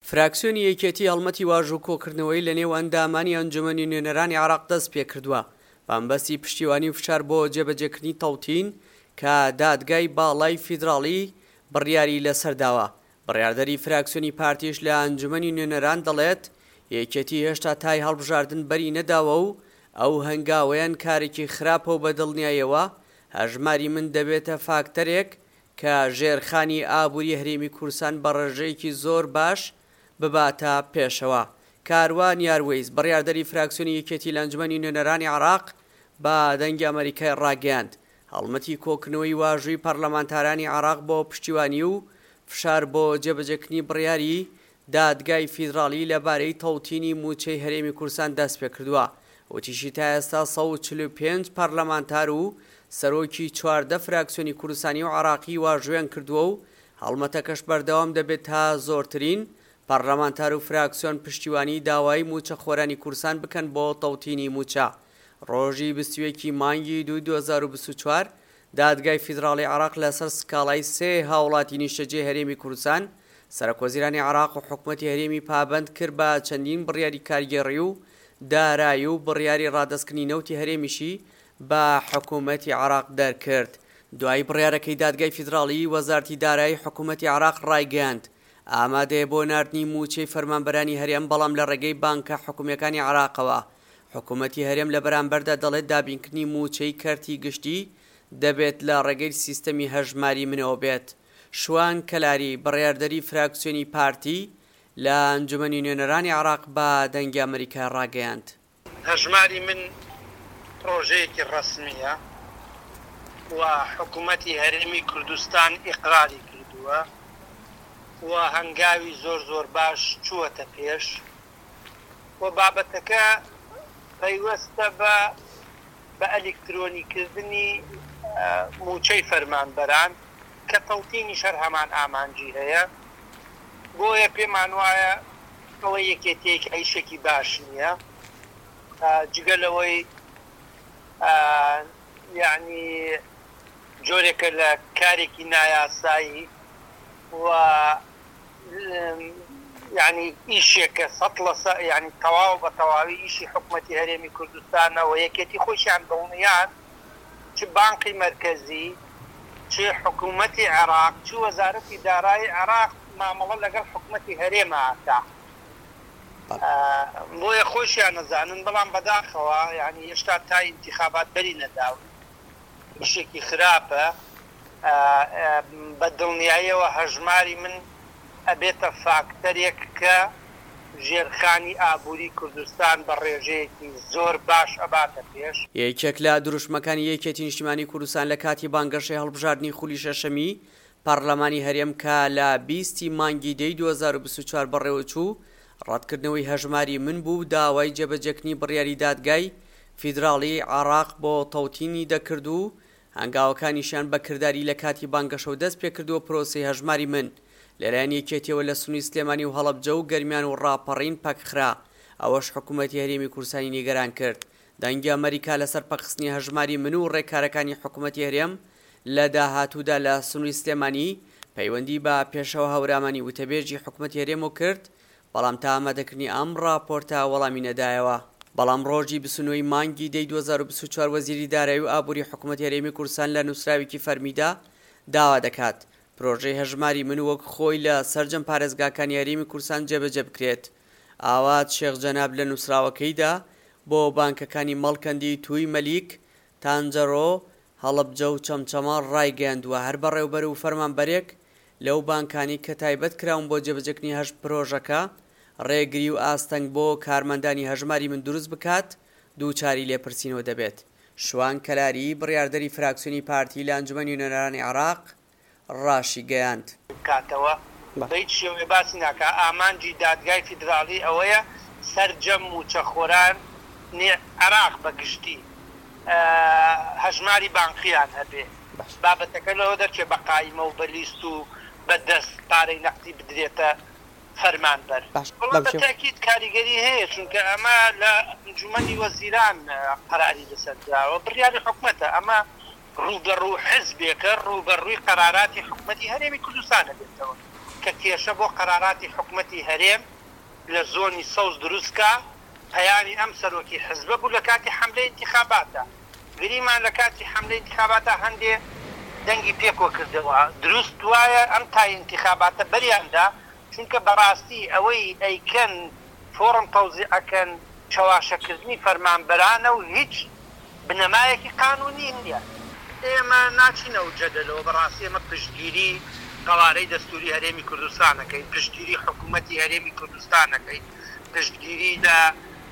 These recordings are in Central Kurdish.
فراکسیۆنی یەکێتی هەڵمەتی واژوو کۆکردنەوەی لەنێو ئەندامانی ئەنجومەنی نوێنەرانی عێراق دەستپێکردووە بەمەبەستی پشتیوانی و فشار بۆ جێبەجێکردنی تەوتین کە دادگای باڵای فیدراڵی بڕیاری لەسەر داوە. بڕیاردەری فراکسیۆنی پارتیش لە ئەنجومەنی نوێنەران دەڵێت، یەکێتی هێشتا تای هەڵبژاردن بەری نەداوە و ئەو هەنگاوەیان کارێکی خراپە و بەدڵنیایەوە هەژماری من دەبێتە فاکتەرێک کە ژێرخانی ئابووری هەرێمی کوردستان بە ڕێژەیەکی زۆر باش بباتە پێشەوە. کاروان یاروەیس، بڕیاردەری فراکسیۆنی یەکێتی لە ئەنجومەنی نوێنەرانی عێراق بە دەنگی ئەمەریکای ڕاگەیاند، هەڵمەتی کۆکردنەوەی واژووی پەرلەمانتارانی عێراق بۆ پشتیوانی و فشار بۆ جێبەجێکردنی بڕیاری دادگای فیدراڵی لەبارەی تەوتینی مووچەی هەرێمی کوردستان دەستپێکردووە. وتیشی تا ئێستا 145 پەرلەمانتار و سەرۆکی 14 فراکسیۆنی کوردستانی و عێراقی واژوویان کردووە و هەڵمەتەکەش بەردەوام دەبێت تا زۆرترین پەرلەمانتار و فراکسیۆن پشتیوانی داوای مووچەخۆرانی کوردستان بکەن بۆ تەوتینی مووچە. ڕۆژی 21 ی مانگی دووی 2024 دادگای فیدراڵی عێراق لەسەر سکاڵای سێ هاوڵاتی نیشتەجێی هەرێمی کوردستان، سەرۆکوەزیرانی عێراق و حکومەتی هەرێمی پابەند کرد بە چەندین بڕیاری کارگێڕی و دارایی و بڕیاری ڕادەستکردنی نەوتی هەرێمیشی بە حکومەتی عێراق دەرکرد. دوای بڕیارەکەی دادگای فیدراڵی، وەزارەتی دارایی حکومەتی عێراق ڕایگەیاند، ئامادەیە بۆ ناردنی مووچەی فەرمانبەرانی هەرێم بەڵام لە ڕێگەی بانکە حکومییەکانی عێراقەوە حکومەتی هەرێم لە بەرامبەردا دەڵێت دابینکردنی مووچەی کەرتی گشتی دەبێت لە ڕێگەی سیستەمی هەژماری منەوە بێت. شوان کەلاری، بڕیاردەری فراکسیۆنی پارتی لە ئەنجومەنی نوێنەرانی عێراق بە دەنگی ئەمەریکای ڕاگەیاند. هەژماری من پڕۆژەیەکی ڕەسمییە و حکومەتی هەرێمی کوردستان ئیقراری کردووە و هەنگاوی زۆر زۆر باش چووەتە پێش. و بابەتەکە پەیوەستە بە بە ئەلیکترۆنیکردنی مووچەی فەرمانبەران کە تەوتینیش هەر هەمان ئامانجی هەیە، بۆیە پێمان وایە ئەوەی یەکێتییەکە ئیشێکی باش نییە، جگە لەوەی یەعنی جۆرێکە لە کارێکی نایاسایی و یانی ئیشێکە سەد لە سە یانی تەواو بە تەواوی ئیشی حکومەتی هەرێمی کوردستانە و یەکێتی خۆیشیان دڵنیان چ بانقی مەرکەزی چ حکومەتی عێراق چ وەزارەتی دارایی عێراق مامەڵە لەگەڵ حکومەتی هەرێما ئەکا بۆیە خۆیشیان ئەزانن بەڵام بەداخەوە یانی هێشتا تای ئینتیخابات بەری نەداون ئیشێکی خراپە بە دڵنیاییەوە هەژماری من ئەبێتە فاکتەرێک کە ژێرخانی ئابووری کوردستان بە ڕێژەیەکی زۆر باش ئەباتە پێش. یەکێک لە دروشمەکانی یەکێتی نیشتیمانی کوردستان لە کاتی بانگەشەی هەڵبژاردنی خولی شەشەمی پەڕلەمانی هەرێم کە لە 20 ی مانگی دەی 2024 بەڕێوەچوو، ڕەتکردنەوەی هەژماری من بوو و داوای جێبەجێکردنی بڕیاری دادگای فیدراڵیی عێراق بۆ تەوتینی دەکرد و هەنگاوەکانیشیان بە کرداری لە کاتی بانگەشەوە دەست پێکردووە پرۆسەی هەژماری من لەلایەن یەکێتیەوە لە سنووری سلێمانی و هەڵەبجە و گەرمیان و ڕاپەڕین پەکخرا ئەوەش حکومەتی هەرێمی کوردستانی نیگەران کرد دەنگی ئەمەریکا لەسەر پەکخستنی هەژماری من و ڕێکارەکانی حکومەتی هەرێم لە داهاتوودا لە سنووری سلێمانی پەیوەندی بە پێشەوا هەورامانی وتەبێژی حکومەتی هەرێمەوە کرد بەڵام تا ئامادەکردنی ئەم ڕاپۆرتە وەڵامی نەدایەوە. بەڵام ڕۆژی 29 ی مانگی دەی 2024 وەزیری دارایی و ئابووری حکومەتی هەرێمی کوردستان لە نووسراوێکی فەرمیدا داوا دەکات پرۆژەی هەژماری من وەک خۆی لە سەرجەم پارێزگاکانی هەرێمی کوردستان جێبەجێ بکرێت. ئاوات شێخ جەناب لە نووسراوەکەیدا بۆ بانکەکانی مەڵکەندی تووی مەلیک، تانجەرۆ، هەڵەبجە و چەمچەماڵ ڕایگەیاندووە، هەر بەڕێوبەر و فەرمانبەرێک لەو بانکانەی کە تایبەت کراون بۆ جێبەجێکردنی هەشت پرۆژەکە، ڕێگری و ئاستەنگ بۆ کارمەندانی هەژماری من دروست بکات، دووچاری لێپرسینەوە دەبێت. شوان کەلاری، بڕیاردەری فراکسیۆنی پارتی لە ئەنجومەنی نوێنەرانی عێراق، ڕاشیگەیاند. بکاتەوە بە هیچ شێوەیە باسی ناکات، ئامانجی دادگای فیدراڵی ئەوەیە سەرجەم مووچەخۆرانی عێراق بە گشتی هەژماری بانقییان هەبێ، بابەتەکە لەوە دەرچێ بە قایمە و بە لیست و بە دەست پارەی نەقدی بدرێتە فەرمانبەر. بەڵام بە تەئکید کاریگەری هەیە، چونکە ئەمە لە ئەنجومەنی وەزیران قەراری لەسەر دراوە، بڕیاری حکومەتە، ئەمە ڕووبەڕوو حزبێکە ڕووبەڕووی قەراراتی حکومەتی هەرێمی کوردستان ئەبێتەوە. کە کێشە بۆ قەراراتی حکومەتی هەرێم لە زۆنی سەوز دروست کا، پەیامی ئەم سەرۆکی حزبە بوو لە کاتی حەملەی ئینتیخاباتا. گریمان لە کاتی حەملەی ئینتیخاباتا هەندێ دەنگی پێ کۆ کردەوە. دروست وایە ئەم تای ئینتیخاباتە بەریان دا، چونکە بەڕاستی ئەوەی ئەیکەن فۆڕم تەوزیع ئەکەن چەواشەکردنی فەرمانبەرانە و هیچ بنەمایەکی قانونی نیە. ئێمە ناچینە ئەو جەدەلەوە، بەڕاستی ئێمە پشتگیری قەوارەی دەستوری هەرێمی کوردستان ئەکەین، پشتگیری حکومەتی هەرێمی کوردستان ئەکەین، پشتگیری لە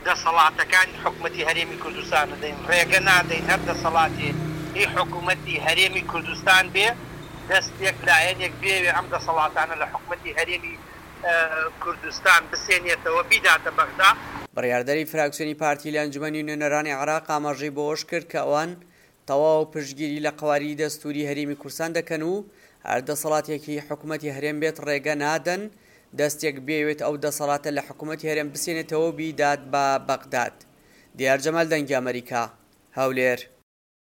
دەسەڵاتەکانی حکومەتی هەرێمی کوردستان ئەدەین، ڕێگە نادەین هەر دەسەڵاتێ هی حکومەتی هەرێمی کوردستان بێ، دەستێک لایەنێک بێوێ ئەم دەسەڵاتانە لە حکومەتی هەرێمی کوردستان بسێنێتەوە بیداتە بەغدا. بڕیاردەری فراکسیۆنی پارتی لە ئەنجومەنی نوێنەرانی عێراق ئاماژەی بەوەشکرد کە ئەوان تەواو پشتگیری لە قەواری دەستووری هەرێمی کوردستان دەکەن و هەر دەسەڵاتێکی حکومەتی هەرێم بێت ڕێگە نادەن دەستێک بیەوێت ئەو دەسەڵاتە لە حکومەتی هەرێم بسێنێتەوە و بیدات بە بەغداد. دیار جەمال دەنگی ئەمەریکا، هەولێر.